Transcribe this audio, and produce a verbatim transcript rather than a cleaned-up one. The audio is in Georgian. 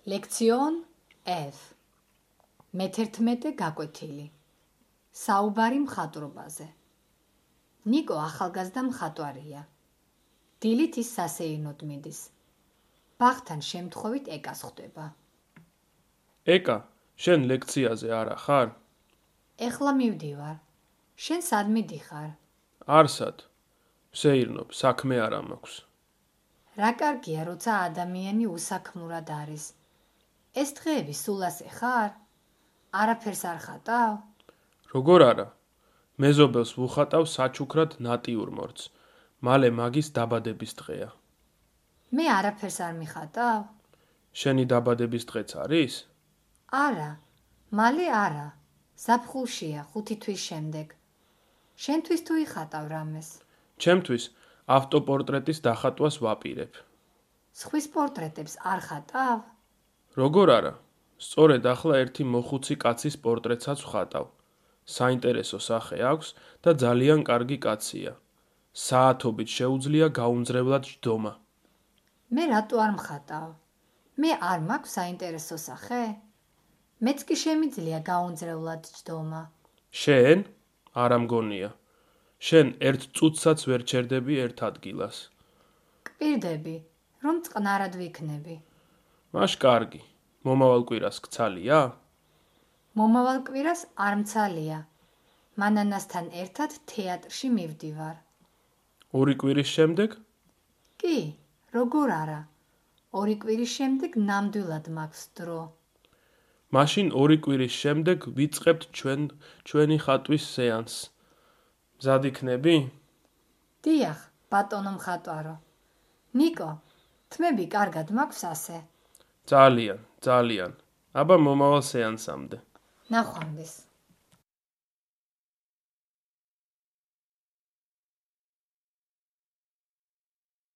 ლექციონ F. მეთერთმეტე გაკვეთილი. საუბარი მხატვრობაზე. ნიკო ახალგაზრდა მხატვარია. დილით ის სასეირნოდ მიდის. ბაღთან შემთხვევით ეკას ხვდება. ეკა, შენ ლექციაზე არა ხარ? ეხლა მივდივარ. შენ სად მიდიხარ? არსად. ვსეირნობ, საქმე არა მაქვს. რა კარგია, როცა ადამიანი უსაქმურად არის. ეს დღეები სულასე ხარ? არაფერს არ ხატავ? როგორ არა? მეზობელს ვუხატავ საჩუქრად ნატიურმორტს. მალე მაგის დაბადების დღეა. მე არაფერს არ მიხატავ? შენი დაბადების დღეც არის? არა, მალე არა. ზაფხულშია, ხუთი თვის შემდეგ. შენთვის თუ იხატავ რამეს? ჩემთვის ავტოპორტრეტის დახატვას ვაპირებ. სხვის პორტრეტებს არ ხატავ? როგორ არა? სწორედ ახლა ერთი მოხუცი კაცის პორტრეტსაც ვხატავ. საინტერესო სახე აქვს და ძალიან კარგი კაცია. საათობით შეუძლია გაუმძლევლად ჯდომა. მე რატო არ მხატავ? მე არ მაქვს საინტერესო სახე? მეც კი შემიძლია გაუმძლევლად ჯდომა. შენ? არა მგონია. შენ ერთ წუთსაც ვერ ჩერდები ერთ ადგილას. კვირდები, რომ წყნარად ვიქნები. მაშ კარგი. მომავალ კვირას გცალია? მომავალ კვირას არ მცალია. მანანასთან ერთად თეატრში მივდივარ. ორი კვირის შემდეგ? კი, როგორ არა. ორი კვირის შემდეგ ნამდვილად მაქვს დრო. მაშინ ორი კვირის შემდეგ ვიწყებთ ჩვენ ჩვენი ხატვის სეანსს. მზად იქნები? დიახ, ბატონო მხატვარო. ნიკო, თმები კარგად მაქვს ასე? ძალიან, ძალიან. აბა მომავალ სეანსამდე. ნახვამდის.